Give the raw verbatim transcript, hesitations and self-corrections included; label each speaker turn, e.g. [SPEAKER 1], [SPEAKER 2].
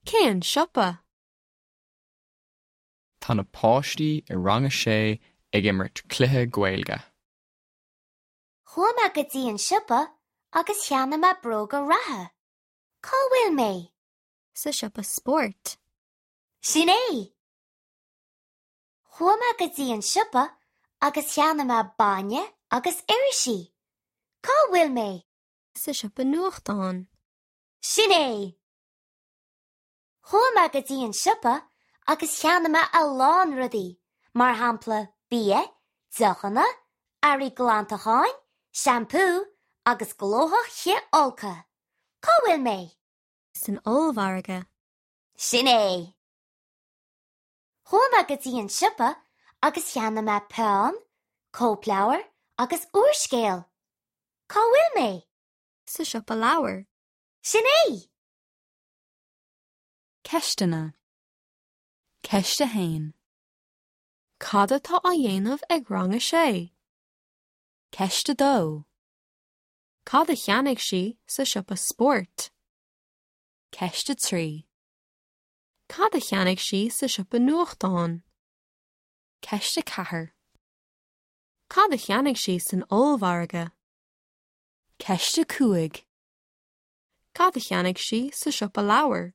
[SPEAKER 1] Cén siopa?
[SPEAKER 2] Tá na páistí i rang a sé ag imirt cluiche Gaeilge.
[SPEAKER 3] Chuaigh mé go dtí an siopa agus cheannaigh mé bróga reatha. Cá bhfuil mé?
[SPEAKER 1] Sa siopa spóirt.
[SPEAKER 3] Sin é! Chuaigh mé go dtí an siopa agus cheannaigh mé bainne agus irisí. Cá bhfuil mé?
[SPEAKER 1] Sa siopa nuachtán.
[SPEAKER 3] Sin é! Chuaigh mé go dtí an siopa agus cheannaigh mé a lán rudaí, mar shampla bia, deochanna, earraí glantacháin, seampú agus glóthach cithfholctha. Cá bhfuil mé?
[SPEAKER 1] San ollmhargadh.
[SPEAKER 3] Sin é! Chuaigh mé go dtí an siopa agus cheannaigh mé peann, cóipleabhar agus úrscéal. Cá bhfuil mé?
[SPEAKER 1] Sa siopa leabhar.
[SPEAKER 3] Sin é!
[SPEAKER 4] Ceisteanna. Ceist a haon.
[SPEAKER 1] Cad atá á dhéanamh ag rang a sé?
[SPEAKER 4] Ceist a dó.
[SPEAKER 1] Cad a cheannaigh sí sa siopa spóirt?
[SPEAKER 4] Ceist a trí.
[SPEAKER 1] Cad a cheannaigh sí sa siopa nuachtán?
[SPEAKER 4] Ceist a ceathair.
[SPEAKER 1] Cad a cheannaigh sí san ollmhargadh?
[SPEAKER 4] Ceist a cúig.
[SPEAKER 1] Cad a cheannaigh sí sa siopa leabhar?